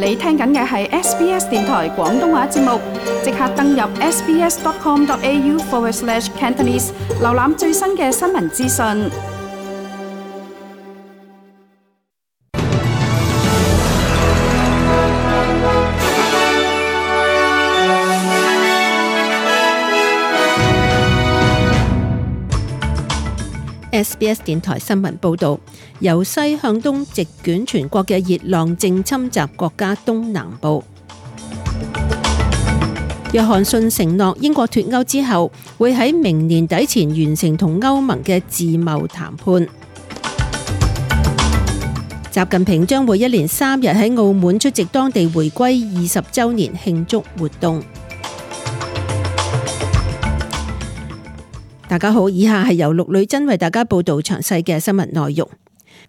你聽緊嘅係 SBS 電台廣東話節目，即刻登入 sbs.com.au/Cantonese 瀏覽最新嘅新聞資訊。SBS 電台新聞報導，由西向東席捲全國嘅熱浪正侵襲國家東南部。約翰遜承諾英國脫歐之後，會喺明年底前完成同歐盟嘅自貿談判。習近平將會一連3日喺澳門出席當地回歸20週年慶祝活動。大家好，以下係由陸女真為大家報道詳細嘅新聞內容。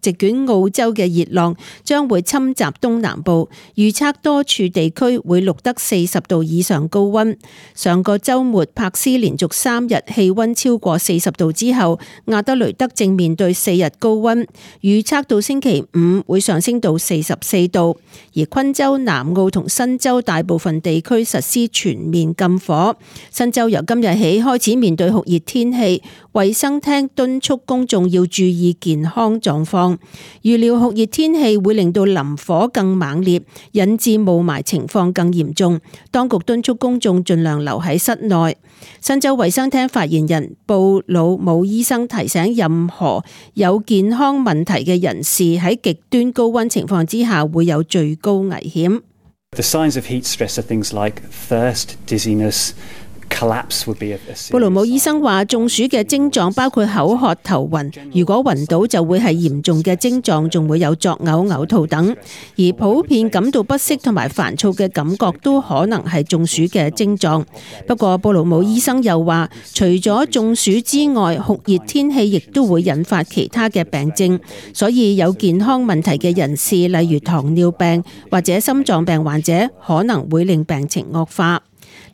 席捲澳洲嘅熱浪將會侵襲東南部，預測多處地區會錄得40度以上高溫。上個週末，柏斯連續3日氣溫超過40度之後，亞德雷德正面對4日高溫，預測到星期5會上升到44度。而昆州、南澳同新州大部分地區實施全面禁火。新州由今日起開始面對酷熱天氣，衛生廳敦促公眾要注意健康狀況。預料酷熱天氣會令到林火更猛烈，引致霧霾情況更嚴重。當局敦促公眾盡量留喺室內。新州衛生廳發言人布魯姆醫生提醒任何有健康問題嘅人士喺極端高溫情況之下會有最高危險。The signs of heat stress are things like thirst, dizziness,布魯姆醫生話，中暑嘅症狀包括口渴、頭暈，如果暈倒就會係嚴重嘅症狀，仲會有作嘔、嘔吐等。而普遍感到不適同埋煩躁嘅感覺都可能係中暑嘅症狀。不過布魯姆醫生又話，除咗中暑之外，酷熱天氣亦都會引發其他嘅病症，所以有健康問題嘅人士，例如糖尿病或者心臟病患者，可能會令病情惡化。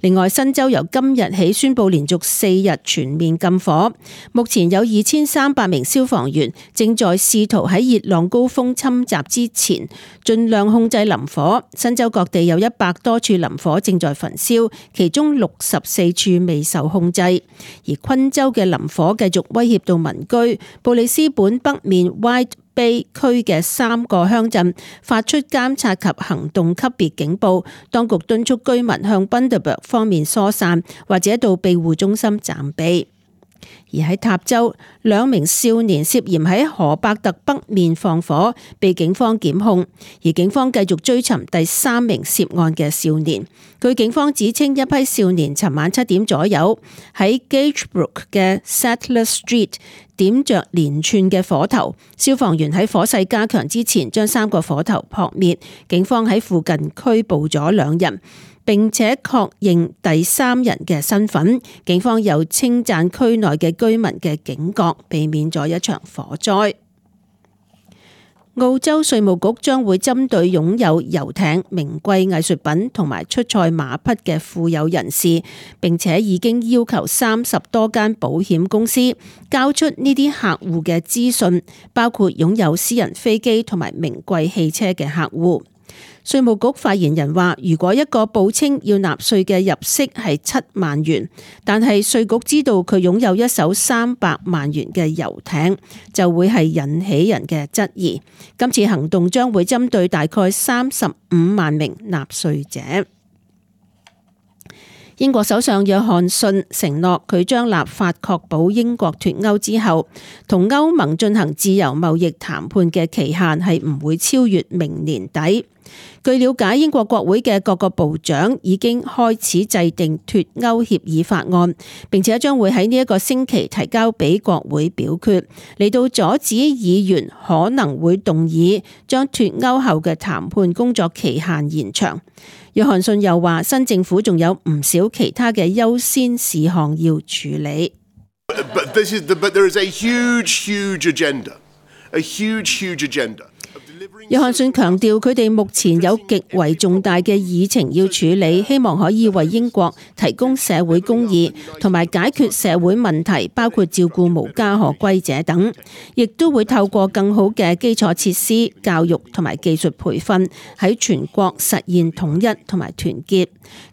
另外，新州由今日起宣布連續4日全面禁火。目前有2300名消防員正在試圖喺熱浪高峰侵襲之前盡量控制林火。新州各地有100多處林火正在焚燒，其中64處未受控制。而昆州嘅林火繼續威脅到民居。布里斯本北面 Wide Bay 區嘅3個鄉鎮發出監察及行動級別警報，當局敦促居民向 Bundaberg 方面疏散，或者到庇護中心暫避。而喺塔州，2名少年涉嫌喺荷伯特北面放火，被警方檢控。而警方繼續追尋第3名涉案嘅少年。據警方指稱，一批少年尋晚7點左右喺 Gagebrook 嘅 Sattler Street 點着連串嘅火頭，消防員喺火勢加強之前將3個火頭撲滅。警方喺附近拘捕咗2人。並且確認第3人嘅身份。警方又稱讚區內嘅居民嘅警覺，避免咗一場火災。澳洲稅務局將會針對擁有遊艇、名貴藝術品同埋出賽馬匹嘅富有人士，並且已經要求30多間保險公司交出呢啲客戶嘅資訊，包括擁有私人飛機同埋名貴汽車嘅客戶。稅務局發言人話，如果一個報稱要納稅嘅入息係7萬元，但係稅局知道佢擁有一艘300萬元嘅遊艇，就會係引起人嘅質疑。今次行動將會針對大概35萬名納稅者。英國首相約翰遜承諾，佢將立法確保英國脫歐之後同歐盟進行自由貿易談判嘅期限係唔會超越明年底。據了解，英國國會嘅各個部長已經開始制定脫歐協議法案，並且將會喺呢一個星期提交俾國會表決，嚟到阻止議員可能會動議將脫歐後嘅談判工作期限延長。約翰遜又話，新政府仲有唔少其他嘅優先事項要處理。But there is a huge agenda. 約翰遜強調，佢哋目前有極為重大嘅議程要處理，希望可以為英國提供社會公義同埋解決社會問題，包括照顧無家可歸者等，亦都會透過更好嘅基礎設施、教育同埋技術培訓，喺全國實現統一同埋團結。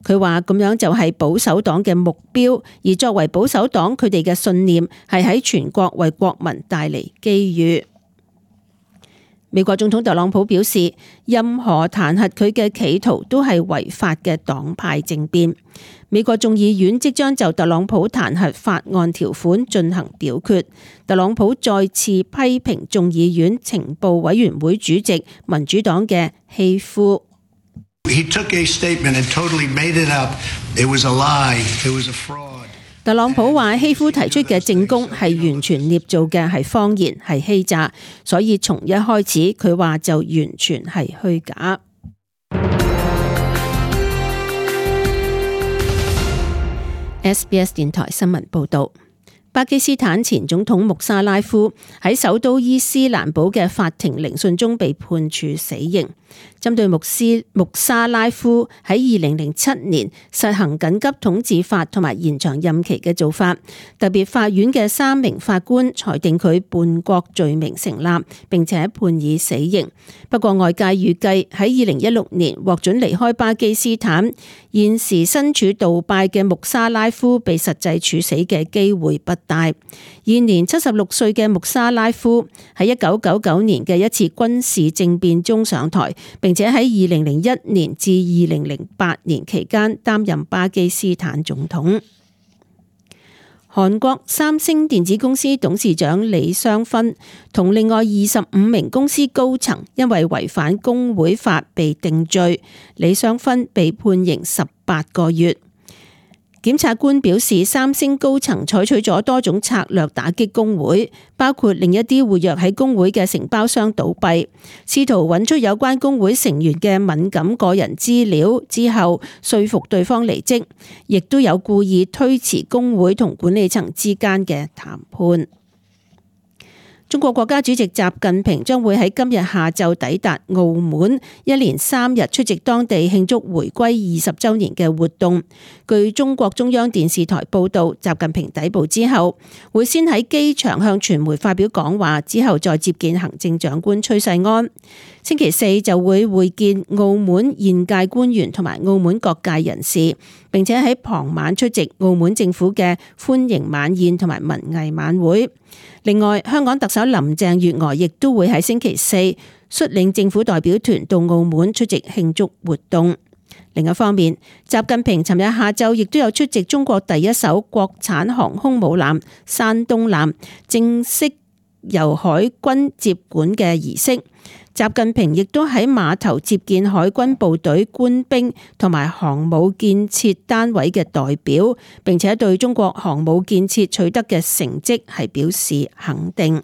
佢話咁樣就係保守黨嘅目標，而作為保守黨，佢哋嘅信念係喺全國為國民帶嚟機遇。美國總統特朗普表示，任何彈劾佢嘅企圖都係違法嘅黨派政變。美國眾議院即將就特朗普彈劾法案條款進行表決。特朗普再次批評眾議院情報委員會主席民主黨嘅希夫。He took a statement and totally made it up. It was a lie. It was a fraud. 特朗普話希夫提出嘅證供係完全捏造嘅，係謊言，係欺詐，所以從一開始佢話就完全係虛假。SBS 電台新聞報道。巴基斯坦前總統穆沙拉夫喺首都伊斯蘭堡嘅法庭聆訊中被判處死刑。針對穆沙拉夫喺2007年實行緊急統治法同埋延長任期嘅做法，特別法院嘅3名法官裁定佢叛國罪名成立，並且判以死刑。不過外界預計喺2016年獲准離開巴基斯坦，現時身處杜拜嘅穆沙拉夫被實際處死嘅機會不大。現年76歲嘅穆沙拉夫喺1999年嘅一次軍事政變中上台，並且喺2001年至2008年期間擔任巴基斯坦總統。韓國三星電子公司董事長李相勳同另外25名公司高層因為違反工會法被定罪，李相勳被判刑18個月。檢察官表示，三星高層採取咗多種策略打擊工會，包括令一啲活躍喺工會嘅承包商倒閉，試圖揾出有關工會成員嘅敏感個人資料之後，說服對方離職，亦都有故意推遲工會同管理層之間嘅談判。中國國家主席習近平將會喺今日下晝抵達澳門，一連3日出席當地慶祝回歸20週年嘅活動。據中國中央電視台報道，習近平抵埗之後，會先喺機場向傳媒發表講話，之後再接見行政長官崔世安。星期4就會會見澳門現屆官員同埋澳門各界人士，並且喺傍晚出席澳門政府嘅歡迎晚宴同埋文藝晚會。另外，香港特首林鄭月娥亦都會喺星期4率領政府代表團到澳門出席慶祝活動。另一方面，習近平尋日下晝亦都有出席中國第一艘國產航空母艦山東艦正式由海軍接管嘅儀式。習近平亦都喺碼頭接見海軍部隊官兵同埋航母建設單位嘅代表，並且對中國航母建設取得嘅成績係表示肯定。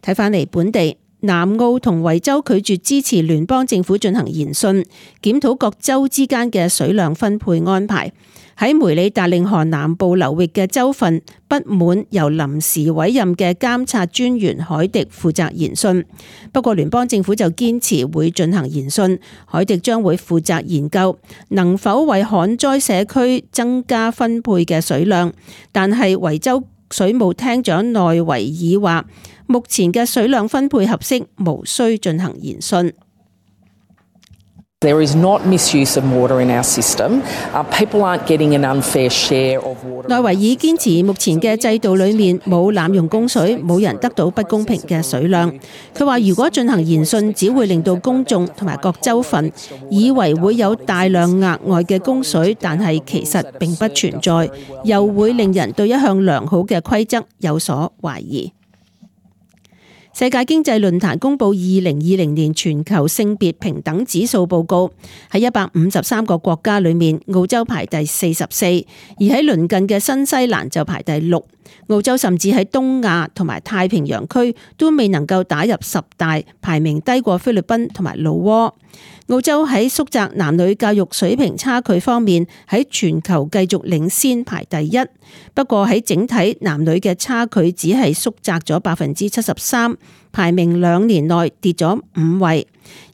睇返嚟本地，南澳同維州拒絕支持聯邦政府進行研訊，檢討各州之間嘅水量分配安排。喺梅里達令河南部流域嘅州份不滿由臨時委任嘅監察專員海迪負責研訊，不過聯邦政府就堅持會進行研訊，海迪將會負責研究能否為旱災社區增加分配嘅水量，但係維州水務廳長內維爾話，目前嘅水量分配合適，無需進行研訊。There is not misuse of water in our system. People aren't getting an unfair share of water. 內維爾堅持目前嘅制度裏面冇濫用供水，冇人得到不公平嘅水量。佢話如果進行研訊，只會令到公眾同埋各州份以為會有大量額外嘅供水，但係其實並不存在，又會令人對一向良好嘅規則有所懷疑。世界經濟論壇公布2020年全球性別平等指數報告，喺153個國家裏面，澳洲排第44，而喺鄰近嘅新西蘭就排第6。澳洲甚至喺東亞同埋太平洋區都未能夠打入10大，排名低過菲律賓同埋老撾。澳洲喺縮窄男女教育水平差距方面喺全球繼續領先，排第1。不過喺整體男女嘅差距只係縮窄咗73%，排名2年內跌咗5位，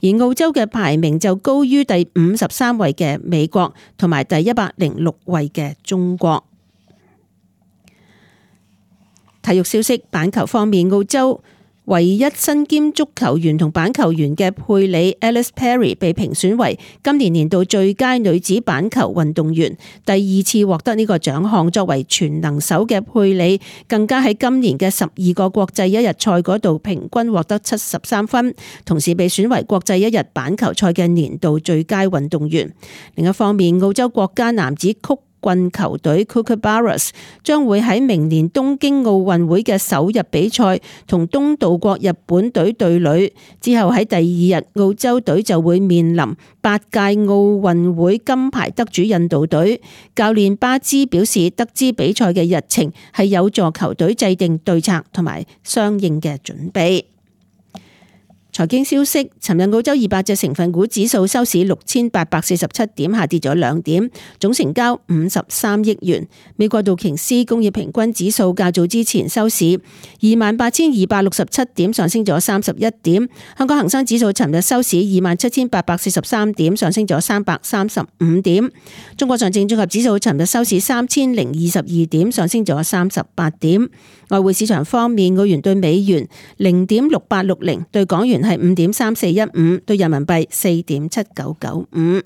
而澳洲嘅排名就高於第53位嘅美國同埋第106位嘅中國。體育消息，板球方面，澳洲唯一身兼足球員同板球員嘅佩里 Alice Perry 被評選為今年年度最佳女子板球運動員，第2次獲得呢個獎項。作為全能手嘅佩里，更加喺今年嘅12個國際一日賽嗰度平均獲得73分，同時被選為國際一日板球賽嘅年度最佳運動員。另一方面，澳洲國家男子曲棍球隊 Kookaburras 將會喺明年東京奧運會嘅首日比賽同東道國日本隊對壘，之後喺第2日澳洲隊就會面臨8屆奧運會金牌得主印度隊。教練巴茲表示，得知比賽嘅日程係有助球隊制定對策同埋相應嘅準備。財經消息，尋日澳洲200隻成分股指數收市6847點，下跌咗2點，總成交53億元。美國道瓊斯工業平均指數較早之前收市28,267點，上升咗31點。香港恒生指數尋日收市27,843點，上升咗335點。中國上證綜合指數尋日收市3022點，上升咗38點。外匯市場方面，澳元對美元0.6860，對港元係5.3415，對人民幣4.7995。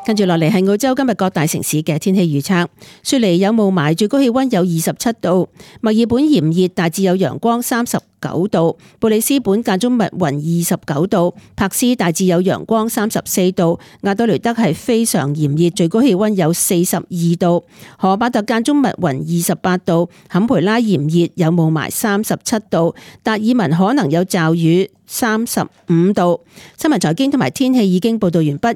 跟住落嚟係澳洲今日各大城市嘅天氣預測。雪梨有霧霾，最高氣溫有27度；墨爾本炎熱，大致有陽光39度；布里斯本間中密雲29度；柏斯大致有陽光34度；亞德雷德係非常炎熱，最高氣溫有42度；荷巴特間中密雲28度；坎培拉炎熱有霧霾37度；達爾文可能有驟雨35度。新聞財經同埋天氣已經報道完畢。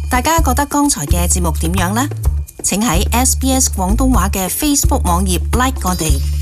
大家覺得剛才嘅節目點樣呢？請喺SBS 廣東話嘅 Facebook 網頁 like 我哋。